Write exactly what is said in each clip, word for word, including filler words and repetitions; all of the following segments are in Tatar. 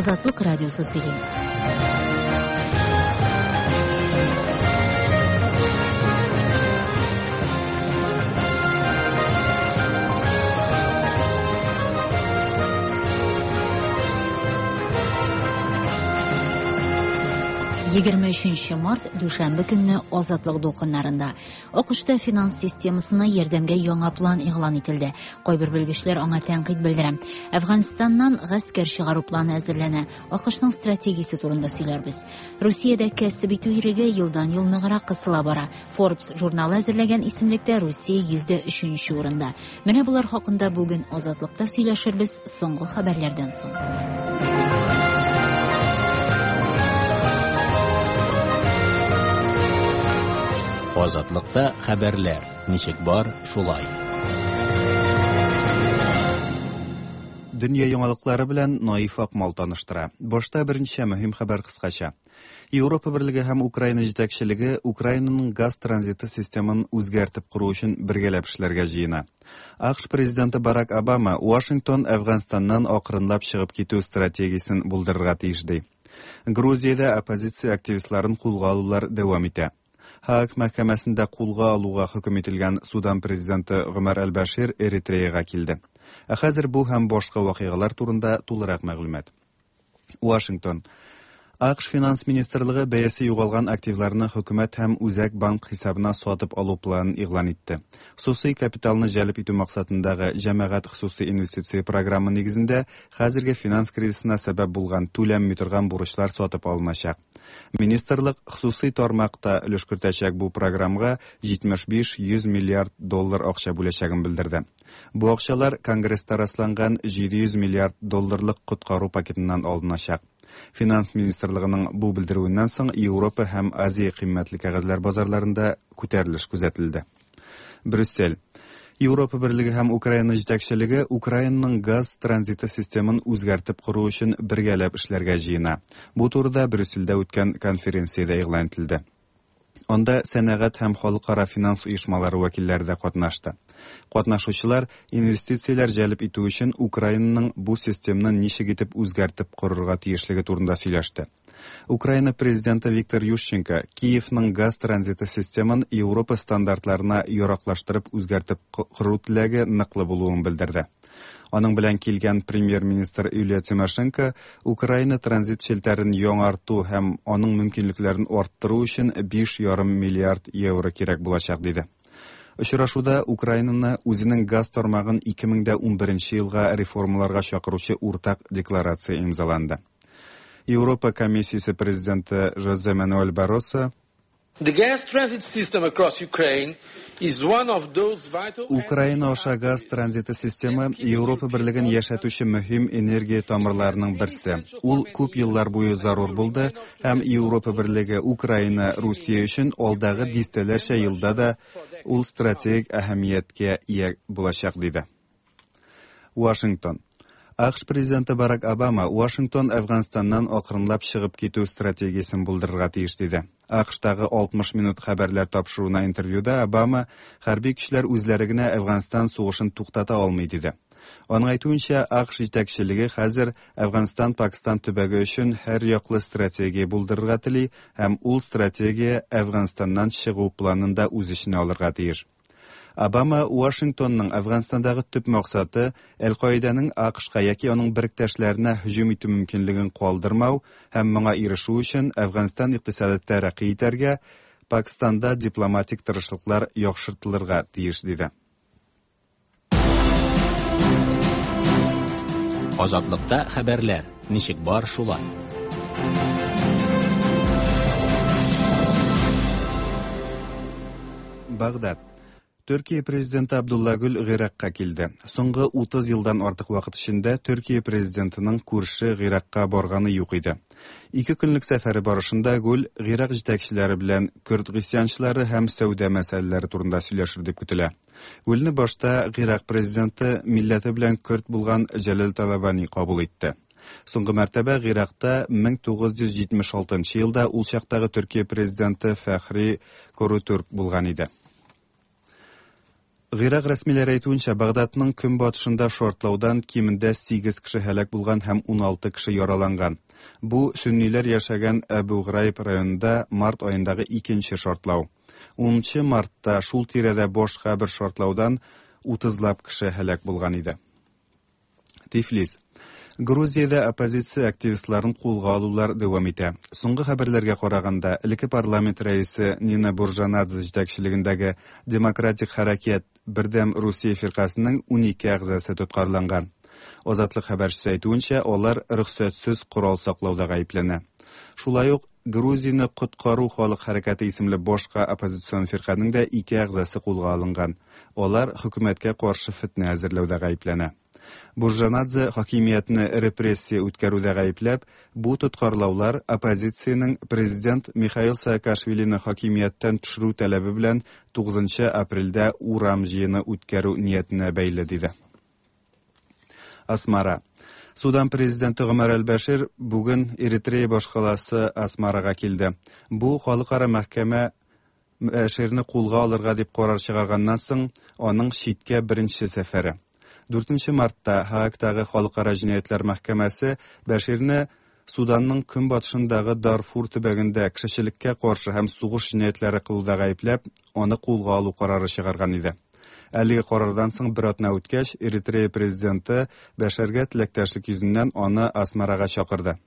Азатлык радиосы сөйли. Егерме өченче март, дүшәмбе көнне Азатлык дулкыннарында. АКШта финанс системасына ярдәмгә яңа план игълан ителде. Кайбер белгечләр аңа тәнкыйть белдерә. Әфганстаннан гаскәр чыгару планы әзерләнә. АКШның стратегиясе турында сөйләрбез. Русиядә кәсеп итү иреге елдан-ел ныграк кысыла бара. Forbes журналы әзерләгән исемлектә Русия йөздә өченче урында. Менә булар хакында бүген Азатлыкта сөйләшербез соңгы хәбәрләрдән соң. Азатлыкта хәбәрләр ничек бар, шулай. Дөнья яңалыклары белән Наиф Акмал таныштыра. Башта берничә мөһим хәбәр кыскача. Европа Берлеге һәм Украина җитәкчелеге Украинаның газ транзиты системын үзгәртеп кору өчен бергәләп эшләргә җыена. АКШ президенты Барак Обама Вашингтон Әфганстаннан акрынлап чыгып китү стратегиясен булдырырга тиеш ди. Грузиядә оппозиция активистларын кулга алулар дәвам итә. Һааг мәхкәмәсендә кулга алуга хөкем ителгән Судан президенты Гомәр әл-Башир Эритреяга килде. Ә хәзер бу һәм башка вакыйгалар турында тулырак мәгълүмат. Вашингтон. АКШ финанс министрлыгы бәясе югалган активларны хөкүмәт һәм үзәк банк хисабына сатып алу планын игълан итте. Хосусый капиталны җәлеп итү максатындагы җәмәгать хосусый инвестиция программы нигезендә хәзерге финанс кризисына сәбәп булган түләнми торган бурычлар сатып алыначак. Министрлык хосусый тармакта өлеш кертәчәк бу программага җитмеш биш йөз миллиард доллар акча бүләчәген белдерде. Бу акчалар Конгресста расланган җиде йөз миллиард долларлык коткару пакетыннан алыначак. Финанс министрлыгының бу белдерүеннән соң Европа һәм Азия кыйммәтле кәгазьләр базарларында күтәрелеш күзәтелде. Брюссель. Европа Берлеге һәм Украина җитәкчелеге Украинаның газ транзиты системын үзгәртеп кору өчен бергәләп эшләргә җыена. Бу турыда Брюссельдә үткән конференциядә игълан ителде. Анда сәнәгать һәм халыкара финанс оешмалары вәкилләре дә катнашты. Катнашучылар инвестицияләр җәлеп итү өчен Украинаның бу системны ничек итеп үзгәртеп корырга тиешлеге турында сөйләште. Украина президенты Виктор Ющенко Киевның газ транзиты системын Европа стандартларына яраклаштырып үзгәртеп кору теләге ныклы булуын белдерде. Аның белән килгән премьер-министр Юлия Тимошенко Украина транзит челтәрен яңарту һәм аның мөмкинлекләрен арттыру өчен биш ярым миллиард евро кирәк булачак диде. Очрашуда Украинаны үзенең газ тармагын ике мең дә унберенче елга реформаларга чакыручы уртак декларация имзаланды. Европа комиссиясе президенты Жозе Мануэль Барросо The gas transit system across Ukraine is one of those vital Украина аша газ транзиты системы Европа Берлеген яшәтүче мөһим энергия тамырларының берсе. Ул күп еллар буе зарур булды һәм Европа Берлеге Украина, Русия өчен алдагы дистәләрчә елда да ул стратегик әһәмияткә ия булачак диде. Вашингтон. АКШ президенты Барак Обама Вашингтон Әфганстаннан акрынлап чыгып китү стратегиясен булдырырга тиеш диде. АКШтагы алтмыш минут хәбәрләр тапшыруына интервьюда Обама хәрби көчләр үзләре генә Әфганстан сугышын туктата алмый диде. Аның әйтүенчә, АКШ җитәкчелеге хәзер Әфганстан-Пакистан төбәге өчен һәр яклы стратегия булдырырга тели һәм ул стратегия Әфганстаннан чыгу планын да үз эченә алырга тиеш. Обама Вашингтонның Әфганстандагы төп максаты Әл-Каиданың АКШка яки аның беректәшләренә һөҗүм итү мөмкинлеген калдырмау һәм моңа ирешү өчен Әфганстан икътисады тәрәкъи итәргә, Пакистанда дипломатик тырышлыклар яхшыртылырга тиеш диде. Азатлыкта хәбәрләр ничек бар шулай. Багдад. Төркия президенты Абдулла Гүл Гыйракка килде. Соңгы утыз елдан артык вакыт эчендә Төркия президентының күрше Гыйракка барганы юк иде. Ике көнлек сәфәре барышында Гүл Гыйрак җитәкчеләре белән көрд гыйсьянчылары һәм сәүдә мәсьәләләре турында сөйләшер дип көтелә. Гүлне башта Гыйрак президенты милләте белән көрд булган Җәләл Талабани кабул итте. Соңгы мәртәбә Гыйракта мең тугыз йөз җитмеш алтынчы елда ул чактагы Төркия президенты Фәхри Корутürк булган иде. Гыйрак рәсмиләре әйтүенчә, Багдадның көнбатышында шартлаудан кимендә сигез кеше һәлак булган һәм уналты кеше яраланган. Бу сөнниләр яшәгән Әбу Грайб районында март аендагы икенче шартлау. Унынчы мартта шул тирәдә башка бер шартлаудан утызлап кеше һәлак булган иде. Тифлис. Грузиядә оппозиция активистларын кулга алулар дәвам итә. Соңгы хәбәрләргә караганда, элекке парламент рәисе Нина Буржанадзе җитәкчелегендәге Демократик хәрәкәт Бердәм Русия фиркасының унике әгъзасы тоткарланган. Азатлык хәбәрчесе әйтүенчә, алар рөхсәтсез корал саклауда гаепләнә. Шулай ук Грузияне коткару халык хәрәкәте исемле башка оппозицион фирканең дә ике әгъзасы кулга алынган. Алар хөкүмәткә каршы фетнә әзерләүдә гаепләнә. Буржанадзе хакимиятне репрессия үткәрүдә гаепләп, бу тоткарлаулар оппозициянең президент Михаил Саакашвилины хакимияттән төшерү таләбе белән тугызынчы апрельдә урам җыены үткәрү ниятенә бәйле, диде. Асмара. Судан президенты Гомәр әл-Бәшир бүген Эритрея башкаласы Асмарага килде. Бу халыкара мәхкәмә Бәширне кулга алырга дип карар чыгарганнан соң аның читкә беренче сәфәре. Дүртенче мартта Һаагтагы халыкара җинаятьләр мәхкәмәсе Бәширне Суданның көнбатышындагы Дарфур төбәгендә кешелеккә каршы һәм сугыш җинаятьләре кылуда гаепләп, аны кулга алу карары чыгарган иде. Әлеге карардан соң бер атна үткәч, Эритрея президенты Бәширгә теләктәшлек йөзеннән аны Асмарага чакырды.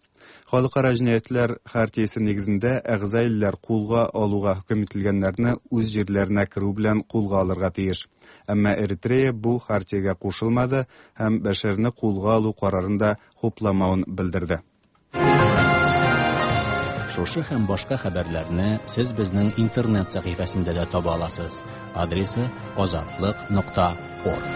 Халыкара җинаятьләр хартиясе нигезендә әгъза илләр кулга алуга хөкем ителгәннәрне үз җирләренә керү белән кулга алырга тиеш. Әмма Эритрея бу хартиягә кушылмады һәм Бәширне кулга алу карарын да хупламавын белдерде. Шушы һәм башка хәбәрләрне сез безнең интернет сәхифәсендә дә таба аласыз. Адресы азатлык нокта орг.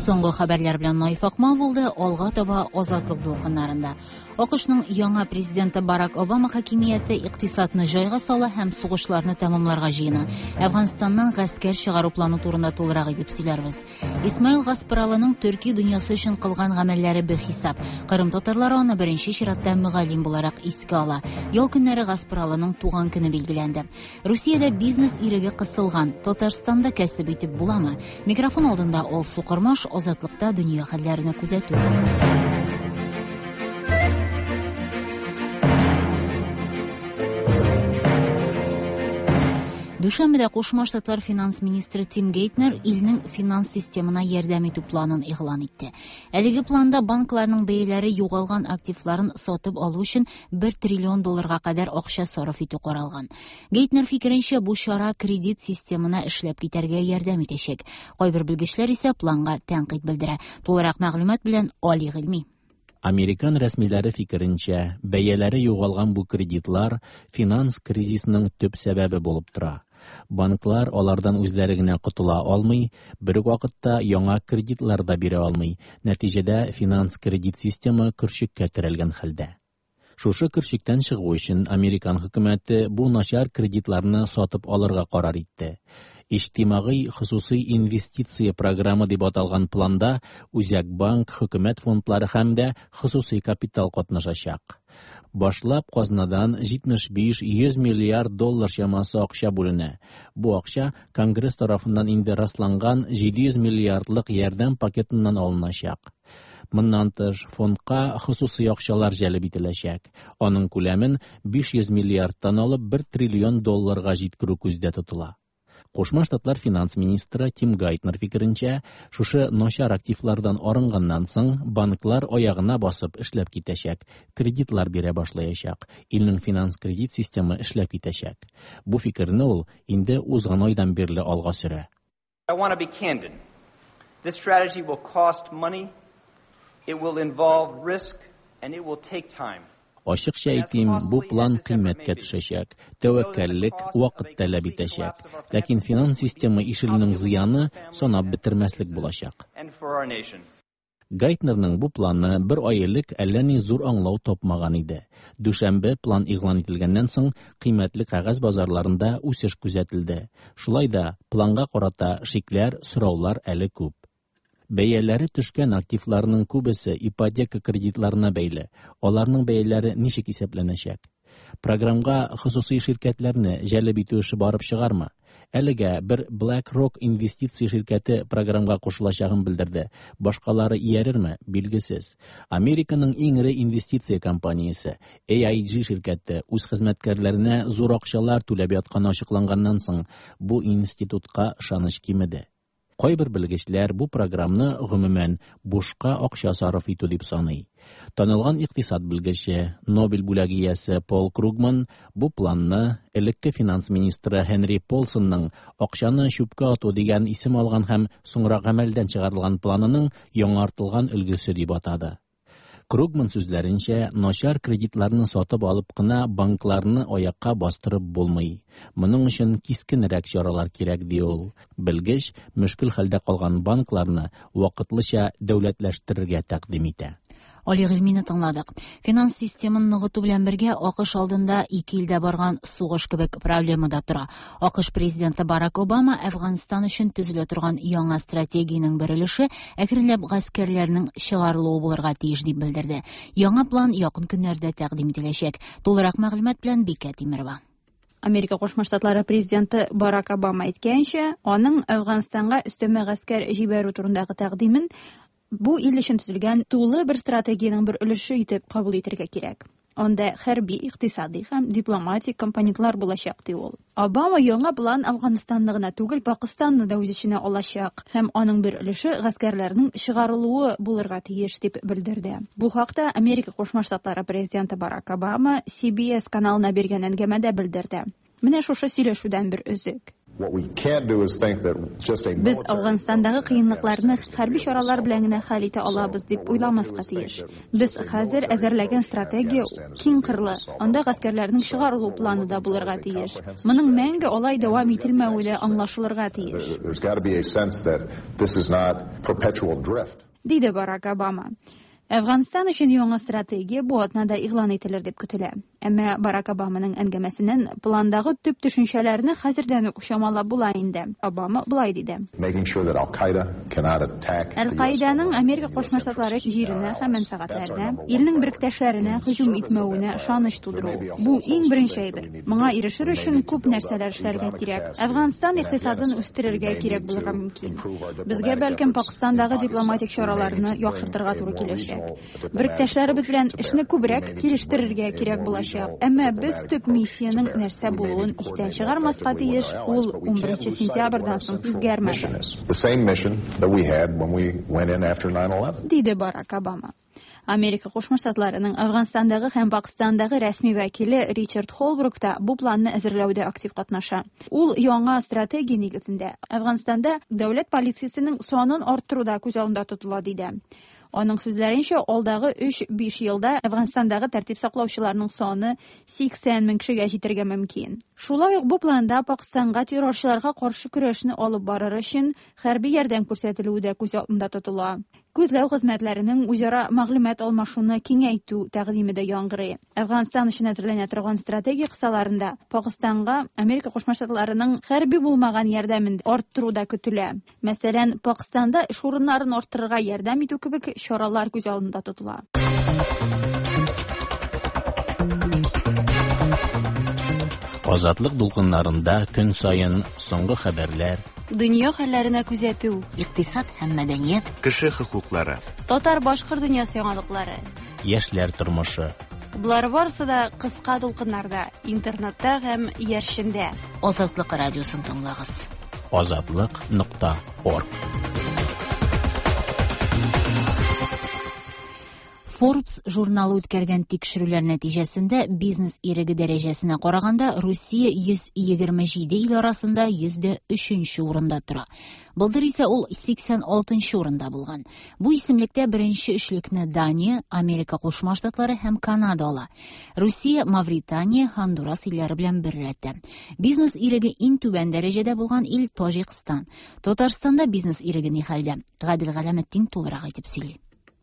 Соңгы хәбәрләр белән Наиф Акмал булды. Алга таба Азатлык дулкыннарында. АКШның яңа президенты Барак Обама хакимияте икътисадны җайга сала һәм сугышларны тәмамларга җыена. Әфганстаннан гаскәр чыгару планы турында тулырак итеп сөйләрбез. Исмаил Гаспаралының төрки дөньясы өчен кылган гамәлләре бихисап. Кырым татарлары аны беренче чиратта мөгаллим буларак искә ала. Ял көннәре Гаспаралының туган көне билгеләнде. Русиядә бизнес иреге кысылган. Татарстанда кәсеп итеп буламы? Микрофон алдында Алсу Кормаш, Азатлыкта дөнья хәлләрен күзәтү. Дүшәмбедә Кушма Штатлар финанс министры Тим Гейтнер илнең финанс системына ярдәм итү планын игълан итте. Әлеге планда банкларның бәяләре югалган активларын сатып алу өчен бер триллион долларга кадәр акча сарыф итү каралган. Гейтнер фикеренчә, бу чара кредит системына эшләп китәргә ярдәм итәчәк. Кайбер белгечләр исә планга тәнкыйть белдерә. Тулырак мәгълүмат белән Али Гыйльми. Американ рәсмиләре фикеренчә, бәяләре югалган бу кредитлар финанс кризисының төп сәбәбе булып тора. Банклар алардан үзләре генә котыла алмый, бер үк вакытта яңа кредитлар да бирә алмый. Нәтиҗәдә финанс кредит системы көршеккә терәлгән хәлдә. Шушы көршектән чыгу өчен Американ хөкүмәте бу начар кредитларны сатып алырга карар итте. Иҗтимагый хосусый инвестиция программы дип аталган планда Үзәк банк, хөкүмәт фондлары һәм дә хосусый капитал катнашачак. Башлап казнадан җитмеш биш йөз миллиард доллар чамасы акча бүленә. Бу акча Конгресс тарафыннан инде расланган җиде йөз миллиардлык ярдәм пакетыннан алыначак. Моннан тыш, фондка хосусый акчалар җәлеп ителәчәк. Аның күләмен биш йөз миллиардтан алып бер триллион долларга җиткерү күздә тотыла. Кушма Штатлар финанс министры Тим Гайтнер фикеренчә, шушы начар активлардан арынганнан соң банклар аягына басып эшләп китәчәк, кредитлар бирә башлаячак, илнең финанс кредит системы эшләп китәчәк. Бу фикерне ул инде узган айдан бирле алга сөрә. I want to be candid. This strategy will cost money, it will involve risk, and it will take time. Ашыкча әйтим, бу план кыйммәткә төшәчәк, тәвәккәллек вакыт таләп итәчәк. Ләкин финанс системы ишелүнең зыяны санап бетермәслек булачак. Гайтнерның бу планы бер ай элек әллә ни зур аңлау тапмаган иде. Дүшәмбе план игълан ителгәннән соң кыйммәтле кәгазь базарларында үсеш күзәтелде. Шулай да планга карата шикләр, сораулар әле күп. Бәяләре төшкән активларның күбесе ипотека кредитларына бәйле. Аларның бәяләре ничек исәпләнәчәк? Програмга хосусый ширкәтләрне җәлеп итү эше барып чыгармы? Әлегә бер BlackRock инвестиция ширкәте програмга кушылачагын белдерде. Башкалары иярерме, билгесез. Американың иң эре инвестиция компаниясе A I G ширкәте үз хезмәткәрләренә зур акчалар түләп ятканы ачыкланганнан соң бу институтка ышаныч кимеде. Кайбер белгечләр бу програмны гомумән бушка акча сарыф итү дип саный. Танылган икътисад белгече, Нобель бүләге иясе Пол Кругман бу планны элекке финанс министры Хенри Полсонның акчаны чүпкә ату дигән исем алган һәм соңрак гамәлдән чыгарылган планының яңартылган өлгесе дип атады. Кругман сүзләренчә, начар кредитларны сатып алып кына банкларны аякка бастырып булмый. Моның өчен кискенрәк чаралар кирәк, ди ул. Белгеч мөшкел хәлдә калган банкларны вакытлыча дәүләтләштерергә тәкъдим итә. Али Гыйльмине тыңладык. Финанс системын ныгыту белән бергә А К Ш алдында ике илдә барган сугыш кебек проблема да тора. А К Ш президенты Барак Обама Әфганстан өчен төзелә торган яңа стратегиянең бер өлеше әкренләп гаскәрләрнең чыгарылуы булырга тиеш дип белдерде. Яңа план якын көннәрдә тәкъдим ителәчәк. Тулырак мәгълүмат белән Бикә Тимерова. Америка Кушма Штатлары президенты Барак Обама әйткәнчә, аның Әфганстанга өстәмә гаскәр җибәрү турындагы тәкъдимен бу ил өчен төзелгән тулы бер стратегиянең бер өлеше итеп кабул итәргә кирәк. Анда хәрби, икътисади һәм дипломатик компонентлар булачак, ди ул. Обама яңа план Әфганстанны гына түгел, Пакистанны да үз эченә алачак һәм аның бер өлеше гаскәрләрнең чыгарылуы булырга тиеш дип белдерде. Бу хакта Америка Кушма Штатлары президенты Барак Обама C B S каналына биргән әңгәмәдә белдерде. Менә шушы сөйләшүдән бер өзек. Без Әфганстандагы кыенлыкларны хәрби чаралар белән генә хәл итә алабыз дип уйламаска тиеш. Без хәзер әзерләгән стратегия киң кырлы, анда гаскәрләрнең чыгарылу планы да булырга тиеш. Моның мәңге алай дәвам ителмәве дә аңлашылырга тиеш. Диде Барак Обама. Әфганстан өчен яңа стратегия бу атнада игълан ителер дип көтелә. Әмма Барак Обаманың әңгәмәсеннән пландагы төп төшенчәләрне хәзердән үк чамалап була инде. Обама болай диде. Әл-Каиданың Америка Кушма Штатлары җиренә һәм мәнфәгатьләренә, илнең беректәшләренә һөҗүм итмәвенә ышаныч тудыру. Бу иң беренче әйбер. Моңа ирешер өчен күп нәрсәләр эшләргә кирәк. Әфганстан икътисадын үстерергә кирәк булырга мөмкин. Безгә бәлкем Пакистандагы дипломатик чараларны яхшыртырга туры киләчәк. Беректәшләребез белән эшне күбрәк килештерергә кирәк булачак. Әмма без төп миссиянең нәрсә булуын истән чыгармаска тиеш, ул унберенче сентябрьдән соң үзгәрмәде. Диде Барак Обама. Америка Кушма Штатларының Әфганстандагы һәм Пакистандагы рәсми вәкиле Ричард Холбрук та бу планны әзерләүдә актив катнаша. Ул яңа стратегия нигезендә Әфганстанда дәүләт полициясенең санын арттыру да күз алдында тотыла, диде. Аның сүзләренчә, алдагы өч-биш елда Әфганстандагы тәртип саклаучыларның саны сиксән мең кешегә җитәргә мөмкин. Шулай ук бу планда Пакистанга террорчыларга каршы көрәшне алып барыр өчен хәрби ярдәм күрсәтелүе дә күз алдында тотыла. Күзләү хезмәтләренең үзара мәгълүмат алмашуны киңәйтү тәкъдиме дә яңгырый. Әфганстан өчен әзерләнә торган стратегия кысаларында Пакистанга Америка Кушма Штатларының хәрби булмаган ярдәмен арттыру да көтелә. Мәсәлән, Пакистанда эш урыннарын арттырырга ярдәм итү кебек чаралар күз алдында тотыла. Азатлык дулкыннарында көн саен соңгы хәбәрләр, Дөнья хәлләренә күзәтү, икътисад һәм мәдәният, кеше хокуклары, татар-башкорт дөньясы яңалыклары, яшьләр тормышы. Болар барысы да кыска дулкыннарда, интернетта һәм иярчендә. Азатлык радиосын тыңлагыз. Азатлык нокта орг. Forbes журналы үткәргән тикшерүләр нәтиҗәсендә бизнес иреге дәрәҗәсенә караганда Русия йөз егерме җиде ил арасында йөз дә өченче урында тора. Былтыр исә ул сиксән алтынчы урында булган. Бу исемлектә беренче өчлекне Дания, Америка Кушма Штатлары һәм Канада ала. Русия Мавритания, Хондурас илләре белән бер рәттә. Бизнес иреге иң түбән дәрәҗәдә булган ил Таҗикстан. Татарстанда бизнес иреге ни хәлдә? Гадел Галәметдин тулырак итеп сөйли.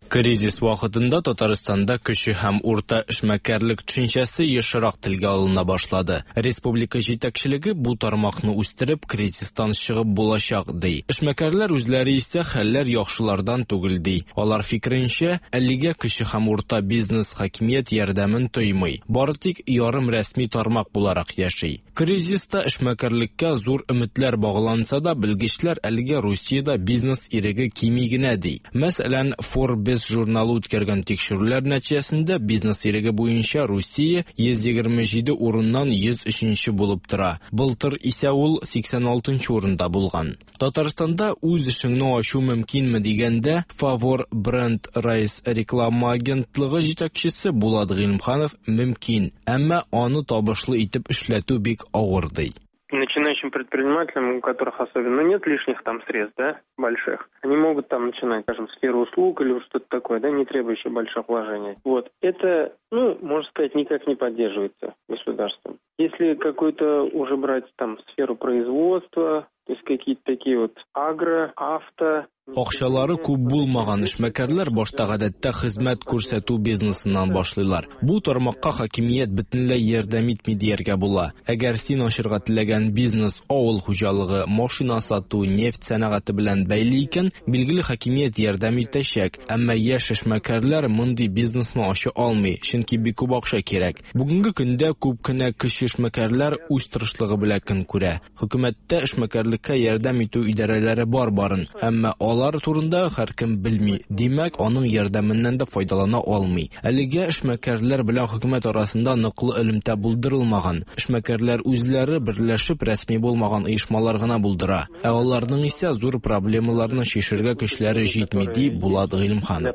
Кризис вакытында Татарстанда кече һәм урта эшмәкәрлек төшенчәсе ешрак телгә алына башлады. Республика җитәкчелеге бу тармакны үстереп, кризистан чыгып булачак ди. Эшмәкәрләр үзләре исә хәлләр яхшылардан түгел ди. Алар фикеренчә, әлегә кече һәм урта бизнес хакимият ярдәмен тоймый. Бары тик ярым рәсми тармак буларак яши. Кризиста эшмәкәрлеккә зур өметләр багланса да, белгечләр әлегә Русиядә бизнес иреге кими генә ди. Мәсәлән, Forbes журналы үткәргән тикшерүләр нәтиҗәсендә бизнес иреге буенча Русия йөз егерме җиде урыннан йөз өченче булып тора. Былтыр исә ул сиксән алтынчы урында булган. Татарстанда үз эшеңне ачу мөмкинме дигәндә, Favor Brand Race реклама агентлыгы җитәкчесе Булат Гыйлемханов мөмкин, әмма аны табышлы итеп эшләтү бик авыр ди. Начинающим предпринимателям, у которых особенно нет лишних там средств, да, больших, они могут там начинать, скажем, сферу услуг или что-то такое, да, не требующее больших вложений. Вот. Это, ну, можно сказать, никак не поддерживается государством. Если какую-то уже брать там сферу производства, то есть какие-то такие вот агро, авто. Акчалары күп булмаган эшмәкәрләр башта гадәттә хезмәт күрсәтү бизнесыннан башлыйлар. Бу тармакка хакимият бөтенләй ярдәм итми дияргә була. Әгәр син ачырга теләгән бизнес авыл хуҗалыгы, машина сату, нефть сәнәгате белән бәйле икән, билгеле хакимият ярдәм итәчәк. Әмма яшь эшмәкәрләр мондый бизнесны ача алмый, чөнки бик күп акча кирәк. Бүгенге көндә күп кенә кече эшмәкәрләр үз тырышлыгы белән көн күрә. Хөкүмәттә эшмәкәрлеккә ярдәм итү идарәләре бар барын, әмма алар турында һәркем белми. Димәк, аның ярдәменнән дә файдалана алмый. Әлегә эшмәкәрләр белән хөкүмәт арасында ныклы элемтә булдырылмаган. Эшмәкәрләр үзләре берләшеп рәсми булмаган оешмалар гына булдыра. Ә аларның исә зур проблемаларны чишәргә көчләре җитми, ди Булат Гыйлемханов.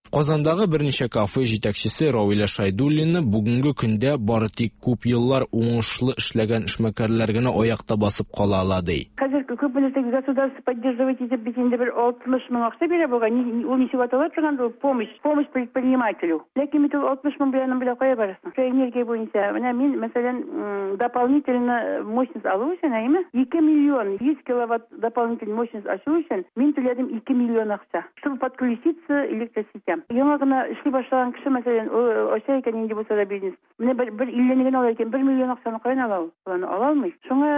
Казандагы берничә кафе җитәкчесе Равилә Шайдуллина бүгенге көндә бары тик күп еллар уңышлы эшләгән эшмәкәрләр генә аякта басып кала ала ди. Хәзер күп нәрсә государство поддерживать итеп бит инде бер алтмыш мең акча бирә булган, ул ничек атала торган ул помощь, помощь предпринимателю. Ләкин бит ул алтмыш мең белән белән кая барасың? Энергия буенча менә мин, мәсәлән, дополнительно мощность алу өчен, әйме? ике миллион йөз киловатт дополнительный мощность ачу өчен мин түләдем ике миллион акча, чтобы подключиться электросетям. Яңа гына эшли башлаган кеше, мәсәлән, ача икән инде булса да бизнес. Менә бер, бер иллене генә ала икән, бер миллион акчаны каян ала ул? Аны ала алмый. Шуңа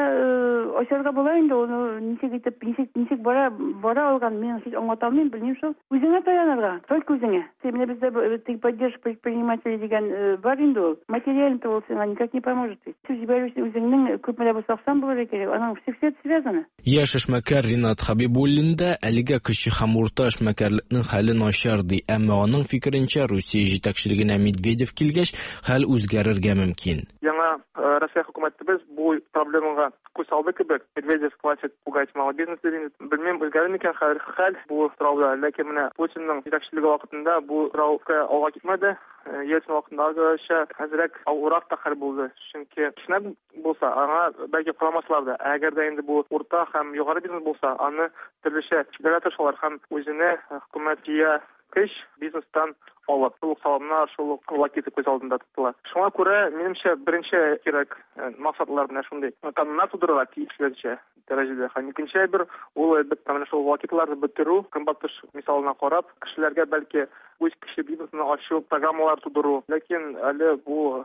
ачарга була инде, аны ничек итеп, ничек, ничек бара, бара алган, мин һич аңлата алмыйм, белмим шул. Үзеңә таянырга, только үзеңә. Менә бездә поддержка предпринимателей дигән бар инде ул. Материально ул сиңа никак не поможет. Сүз җибәрү өчен үзеңнең күпме дә булса акчаң булырга кирәк. Аның все все связано. Яшь эшмәкәр Ринат Хабибуллин да әлегә кече һәм урта эшмәкәрлекнең хәле начар ди. Әмма аның фикеренчә, Русия җитәкчелегенә Медведев килгәч, хәл үзгәрергә мөмкин. Яңа Россия хөкүмәтебез бу проблемага күз салды кебек. Медведев хватит пугать малый бизнес дигән. Белмим, үзгәрер микән хәл, хәл бу сорауда. Ләкин менә Путинның җитәкчелеге вакытында бу сорау алга китмәде. Ельцин вакытындагыча әзрәк авыррак та хәл булды. Чөнки кечкенә булса, аңа бәлки карамаслар да. Әгәр дә инде бу урта һәм югары бизнес булса, аны төрлечә чикләргә тырышалар һәм үзенә хөкүмәт җыя көч бизнестан алып, шул ук салымнар, шул ук лакеты күз алдында тотыла. Шуңа күрә, минемчә, беренче кирәк максатлар менә шундый. Кануннар тудырырга тиешләрчә дәрәҗәдә. Һәм икенче бер ул әлбәттә менә шул лакетларны бетерү, көнбатыш мисалына карап, кешеләргә бәлки үз кеше бизнесын ачу программалар тудыру. Ләкин әле бу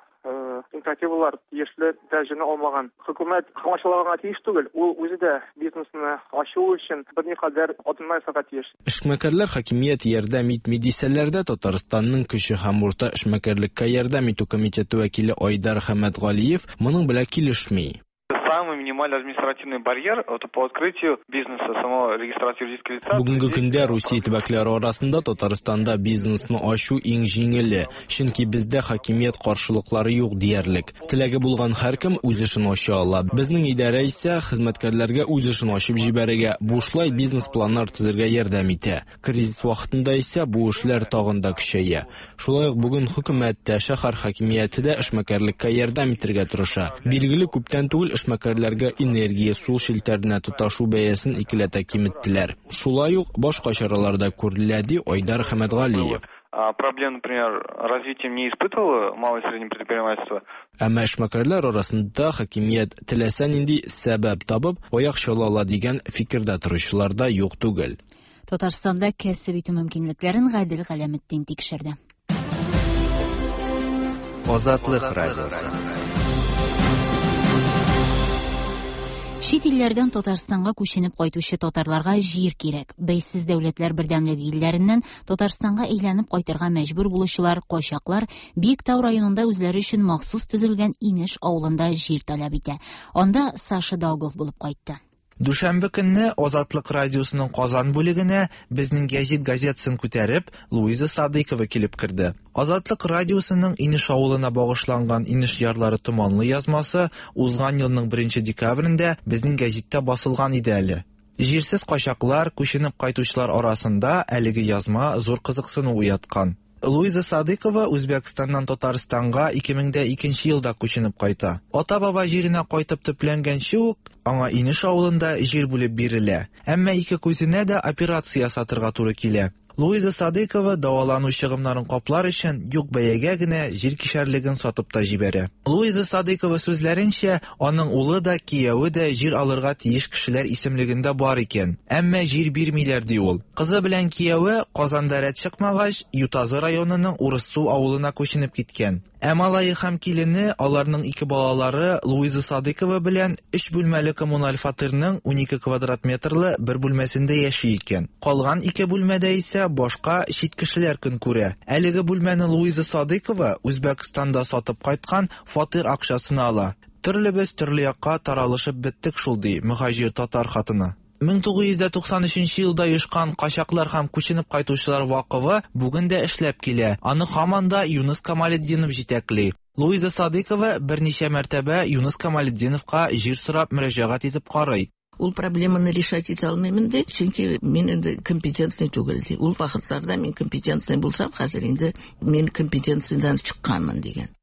инициативалар тиешле дәрәҗәне алмаган. Хөкүмәт комачаулаганга тиеш түгел, ул үзе дә бизнесны ачу өчен берникадәр адымнар ясарга тиеш. Эшмәкәрләр хакимият ярдәм итми дисәләр дә, Татарстанның кече һәм урта эшмәкәрлеккә ярдәм итү комитеты вәкиле Айдар Хәмәтгалиев моның белән килешми. Самый минимальный административный барьер это по открытию бизнеса, самого регистрации юридического лица. Бүгенге көндә Русия төбәкләре арасында Татарстанда бизнесны ачу иң җиңеле, чөнки бездә хакимият каршылыклары юк диярлек. Теләге булган һәркем үз эшен ача ала. Безнең идарә исә хезмәткәрләргә үз эшен ачып җибәрергә, бушлай бизнес-планнар төзергә ярдәм итә. Кризис вакытында исә бу эшләр тагын да көчәя. Шулай ук бүген хөкүмәт тә, шәһәр хакимияте дә эшмәкәрлеккә ярдәм итәргә тырыша. Билгеле, күптән түгел эшмәкәрләргә энергия, су челтәренә тоташу бәясен икеләтә киметтеләр. Шулай ук башка чаралар да күрелә, ди Айдар Хәмәтгалиев. Проблем, например, развитием не испытывало малое и среднее предпринимательство. Әмма эшмәкәрләр арасында хакимият теләсә нинди сәбәп табып, аяк чала ала дигән фикердә торучылар да юк түгел. Татарстанда кәсеп итү мөмкинлекләрен Гадел Галәметдин тикшерде. Азатлык радиосы. Чит илләрдән Татарстанга күченеп кайтучы татарларга җир кирәк. Бәйсез дәүләтләр бердәмлеге илләреннән Татарстанга әйләнеп кайтырга мәҗбүр булучылар, качаклар Биектау районында үзләре өчен махсус төзелгән Инеш авылында җир таләп итә. Анда Саша Долгов булып кайтты. Дүшәмбе көнне Азатлык радиосының Казан бүлегенә Безнең гәҗит газетасын күтәреп Луиза Садыйкова килеп керде. Азатлык радиосының Инеш авылына багышланган Инеш ярлары томанлы язмасы узган елның беренче декабрендә Безнең гәҗиттә басылган иде әле. Җирсез качаклар, күченеп кайтучылар арасында әлеге язма зур кызыксыну уяткан. Луиза Садыкова Үзбәкстаннан Татарстанга ике мең дә икенче елда күченеп кайта. Ата-баба җиренә кайтып төпләнгәнче үк аңа Инеш авылында җир бүлеп бирелә. Әмма ике күзенә дә операция ясатырга туры килә. Луиза Садыкова дәвалану чыгымнарын каплар өчен юк бәягә генә җир кишәрлеген сатып та җибәрә. Луиза Садыкова сүзләренчә, аның улы да, кияве дә җир алырга тиеш кешеләр исемлегендә бар икән. Әмма җир бирмиләр ди ул. Кызы белән кияве Казанда рәт чыкмагач, Ютазы районының Урыссу авылына күченеп киткән. Ә малае һәм килене, аларның ике балалары Луиза Садыкова белән өч бүлмәле коммуналь фатирның унике квадрат метрлы бер бүлмәсендә яши икән. Калган ике бүлмәдә исә башка чит кешеләр көн күрә. Әлеге бүлмәне Луиза Садыкова Үзбәкстанда сатып кайткан фатир акчасына ала. Төрлебез төрле якка таралышып беттек шул, ди мөһаҗир татар хатыны. мең тугыз йөз туксан өченче елда оешкан качаклар һәм күченеп кайтучылар вакыфы бүген дә эшләп килә. Аны һаман да Юныс Камалетдинов җитәкли. Луиза Садыкова берничә мәртәбә Юныс Камалетдиновка җир сорап мөрәҗәгать итеп карый. Ул проблеманы решать итә алмыйм инде, чөнки мин инде компетентный түгел ди. Ул вакытларда мин компетентный булсам, хәзер инде мин компетенциядән чыкканмын дигән.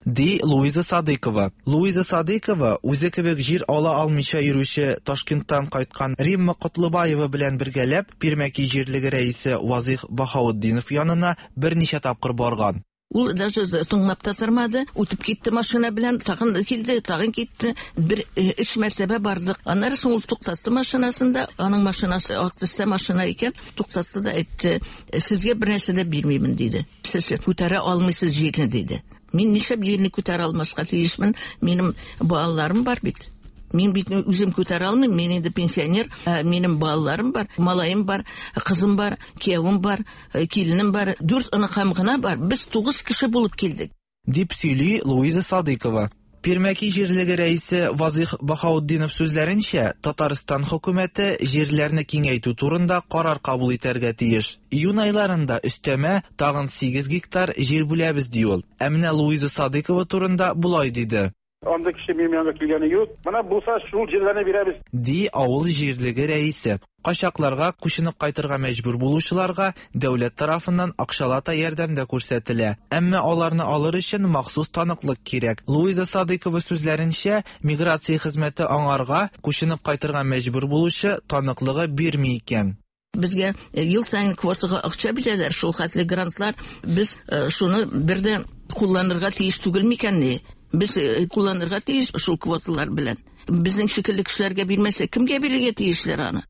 Ди Луиза Садыкова. Луиза Садыкова үзе кебек җир ала алмыйча йөрүче Ташкенттан кайткан Римма Котлыбаева белән бергәләп Пирмәки җирлеге рәисе Вазих Баһаутдинов янына берничә тапкыр барган. Ул даже тыңлап та тормады, үтеп китте машина белән, тагын килде, тагын китте. Бер өч мәртәбә бардык. Аннары соң ул туктатты машинасында, аның машинасы ак төстә машина икән, туктатты да әйтте, сезгә бер нәрсә дә бирмимен диде. Сез күтәрә алмыйсыз җирне диде. Мин нишләп җирне күтәрә алмаска тиешмен? Минем балаларым бар бит. Мин бит үзем күтәрә алмыйм, мин инде пенсионер, минем балаларым бар, малаем бар, кызым бар, киявем бар, киленем бар, дүрт оныкам гына бар. Без тугыз кеше булып килдек. Дип сөйли Луиза Садыкова. Пирмәки җирлеге рәисе Вазих Баһаутдинов сүзләренчә, Татарстан хөкүмәте җирләрне киңәйтү турында карар кабул итәргә тиеш. Июнь айларында өстәмә тагын сигез гектар җир бүләбез ди ул. Ә менә Луиза Садыкова турында болай диде. Анда кеше минем янга килгәне юк. Менә булса шул җирләрне бирәбез. Ди авыл җирлеге рәисе. Качакларга күченеп кайтырга мәҗбүр булучыларга дәүләт тарафыннан акчалата ярдәм дә күрсәтелә. Әмма аларны алыр өчен махсус таныклык кирәк. Луиза Садыкова сүзләренчә, миграция хезмәте аңарга күченеп кайтырга мәҗбүр булучы таныклыгы бирми икән. Безгә ел саен квотага акча бирәләр, шул хәтле грантлар. Без шуны бер дә кулланырга тиеш түгел микәнни? Без кулланырга тиеш шул квоталар белән. Безнең шикелле кешеләргә бирмәсә, кемгә бирергә тиешләр аны?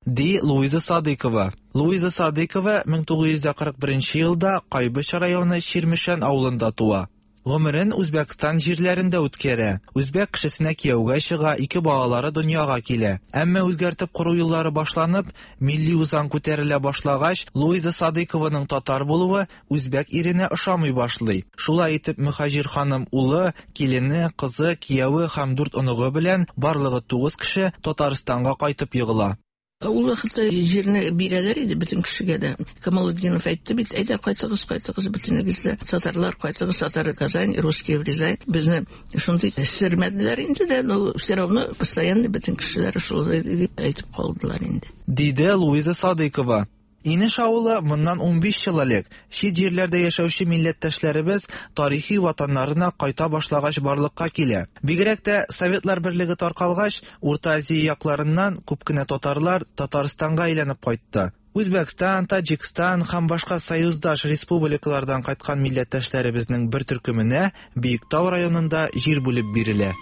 Ди Луиза Садыкова. Луиза Садыкова мең тугыз йөз кырык беренче елда Кайбыч районы Чирмешән авылында туа. Гомерен Үзбәкстан җирләрендә үткәрә. Үзбәк кешесенә кияүгә чыга, ике балалары дөньяга килә. Әмма үзгәртеп кору еллары башланып, милли үзаң күтәрелә башлагач, Луиза Садыкованың татар булуы үзбәк иренә ошамый башлый. Шулай итеп, мөһаҗир ханым улы, килене, кызы, кияве һәм дүрт оныгы белән барлыгы тугыз кеше Татарстанга кайтып егыла. Ул вакытта җирне бирәләр иде бөтен кешегә дә. Камалетдинов әйтте бит, әйдә кайтыгыз, кайтыгыз, бөтенегез дә татарлар кайтыгыз, татар Казань, русские в Рязань. Безне шундый сөрмәделәр инде дә, но все равно постоянно бөтен кешеләр шулай дип әйтеп калдылар инде. Диде Луиза Садыкова. Инеш авылы моннан унбиш ел элек чит җирләрдә яшәүче милләттәшләребез тарихи ватаннарына кайта башлагач барлыкка килә. Бигрәк тә Советлар Берлеге таркалгач, Урта Азия якларыннан күп кенә татарлар Татарстанга әйләнеп кайтты. Үзбәкстан, Таҗикстан һәм башка союздаш республикалардан кайткан милләттәшләребезнең бер төркеменә Биектау районында җир бүлеп бирелә.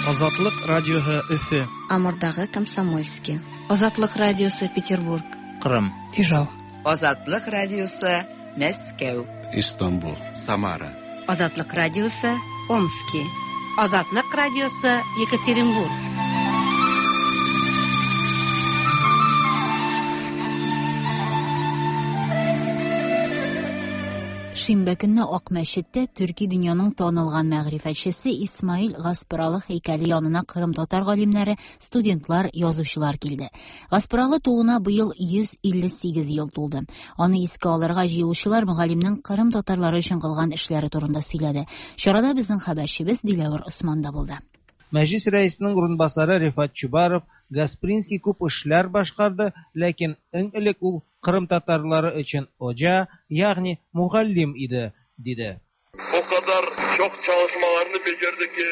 Азатлык радиосы Өфе. Амурдагы Комсомольский. Азатлык радиосы Петербург. Кырым. Ижау. Азатлык радиосы Мәскәү. Истанбул. Самара. Азатлык радиосы Омски. Азатлык радиосы Екатеринбург. Шимбә көнне Ак мәчеттә төрки дөньяның танылган мәгърифәтчесе Исмаил Гаспралы һәйкәле янына Кырым татар галимнәре, студентлар, язучылар килде. Гаспралы тууына быел йөз илле сигез ел тулды. Аны искә алырга җыелучылар мөгаллимнең Кырым татарлары өчен кылган эшләре турында сөйләде. Чарада безнең хәбәрчебез Диләвер Осман да булды. Мәҗлис рәисенең урынбасары Рифат Чубаров Гаспринский күп эшләр башкарды, ләкин иң элек ул Кырым татарлары өчен оҗа, ягъни мугаллим иде, диде. O kadar çok çalışmalarını becerdi ki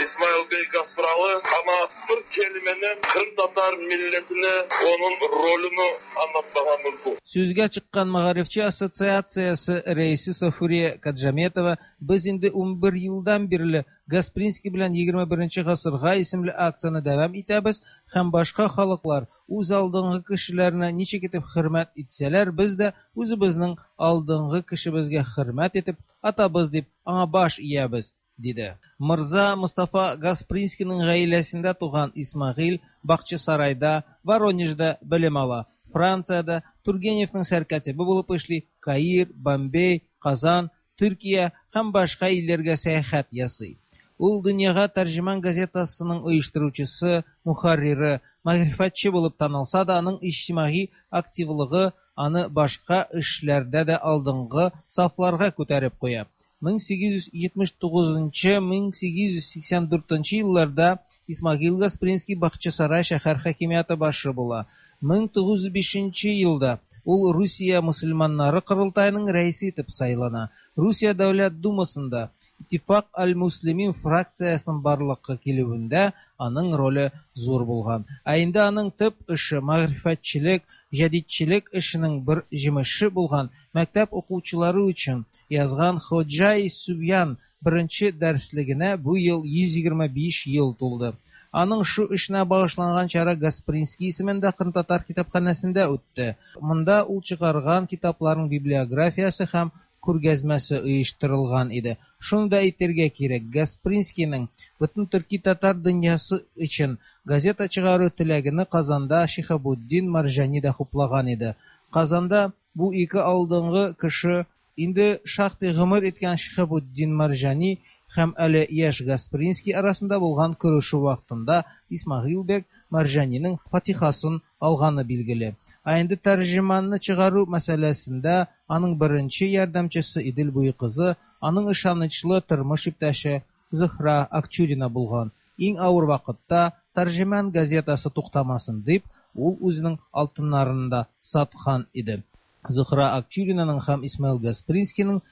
İsmail Bey Gaspıralı, ama bir kelimenin Kırım Tatar milletine onun rolünü anlatmaya mümkün. Сүзгә чыккан Мәгарифче ассоциациясе рәисе Сафурия Каджаметова, без инде унбер елдан бирле Гаспринский белән егерме беренче гасырга исемле акцияне дәвам итәбез һәм башка халыклар үз алдынгы кешеләренә ничек итеп хөрмәт итсәләр, без дә үзебезнең алдынгы кешебезгә хөрмәт итеп, атабыз дип аңа баш иябез, диде. Мырза Мустафа Гаспринскийның гаиләсендә туган Исмагыйль Бакчасарайда, Воронежда белем ала. Франциядә Тургеневның сәркатибе булып эшли, Каир, Бомбей, Казан, Төркия һәм башка илләргә сәяхәт ясый. Ул дөньяга Тәрҗеман газетасының оештыручысы, мөхәррире, мәгърифәтче булып танылса да, аның иҗтимагый активлыгы аны башка эшләрдә дә алдынгы сафларга күтәреп куя. мең сигез йөз җитмеш тугызынчы мең сигез йөз сиксән дүртенче елларда Исмагыйль Гаспринский Бакчасарай шәһәр хакимияте башы була. мең тугыз йөз бишенче елда ул Русия мөселманнары корылтаеның рәисе итеп сайлана. Русия Дәүләт Думасында Иттифак аль-Муслимин фракциясының барлыкка килүендә аның роле зур булган. Ә инде аның төп эше мәгърифәтчелек, җәдидчелек эшенең бер җимеше булган мәктәп укучылары өчен язган Ходжай Субьян беренче дәреслегенә бу ел йөз егерме биш ел тулды. Аның шу эшенә багышланган чара Гаспринский исемендә Кырым татар китапханәсендә үтте. Монда ул чыгарган китапларның библиографиясе һәм күргәзмәсе оештырылган иде. Шуны да әйтергә кирәк, Гаспринскийның бөтен төрки татар дөньясы өчен газета чыгару теләгене Казанда Шиһабуддин Марҗани да хуплаган иде. Казанда бу ике алдынгы кеше инде шактый гомер иткән Шиһабуддин Марҗани һәм әле яшь Гаспринский арасында булган күрешү вакытында Исмагыйль бек Марҗаниның фатихасын алганы билгеле. Ә инде тәрҗеманны чыгару мәсьәләсендә аның беренче ярдәмчесе Идел буе кызы, аның ышанычлы тормыш иптәше Зөһрә Акчурина булган. Иң авыр вакытта Тәрҗеман газетасы туктамасын дип, ул үзенең алтыннарын да саткан иде. Зөһрә Акчуринаның һәм Исмаил Гаспринскийның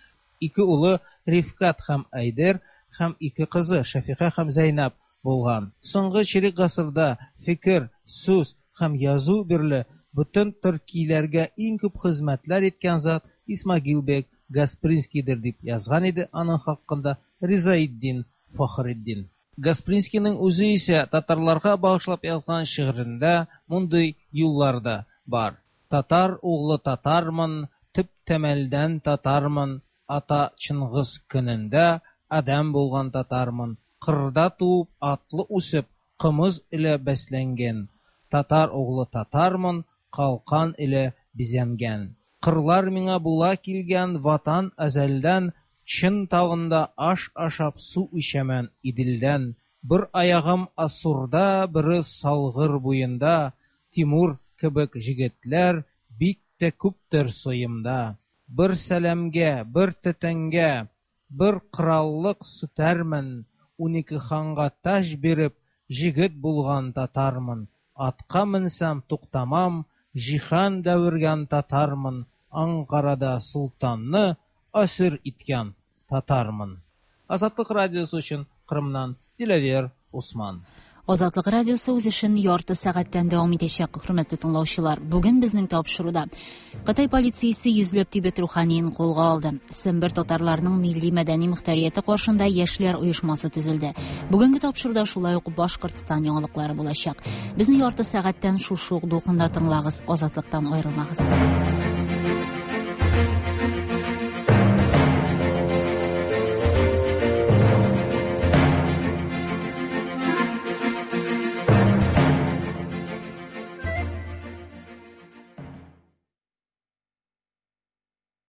ике улы Рифкат һәм Айдер һәм ике кызы Шәфиха һәм Зәйнәб булган. Соңгы чирек гасырда фикер, сүз һәм язу бирле бөтен төркиләргә иң күп хезмәтләр иткән зат Исмагыйль бек Гаспринскийдер дип язган иде аның хакында Ризаиддин Фахретдин. Гаспринскийның үзе исә татарларга багышлап язган шигырендә мондый юллар да бар. Татар углы татармын, төп тәмәлдән татармын, ата Чыңгыз көнендә адәм булган татармын, кырда туып, атлы үсеп, кымыз илә бәсләнгән, татар углы татармын, калкан илә бизәнгән. Кырлар миңа була килгән ватан әзәлдән, чын тавында аш ашап су эчәмен Иделдән. Бер аягым Асурда, бере Салгыр буенда, Тимур кебек җегетләр бик тә күптер соемда. Бер сәламгә, бер тәтәнгә, бер кораллык сүтәрмен, унике ханга таҗ биреп, җегет булган татармын. Атка менсәм туктамам, җиһан дәвергән татармын, Анкарада султанны асир иткән татармын. Азатлык радиосы өчен Кырымнан Диләвер Усман. Азатлык радиосы үз эшен ярты сәгатьтән дәвам итәчәк, хөрмәтле тыңлаучылар. Бүген безнең тапшыруда Кытай полициясе йөзләп Тибет руханиен кулга алды. Сембер татарларының милли мәдәни мөхтәрияте каршында яшьләр оешмасы төзелде. Бүгенге тапшыруда шулай ук Башкортстан яңалыклары булачак. Безне ярты сәгатьтән шушы ук дулкында тыңлагыз, Азатлыктан аерылмагыз.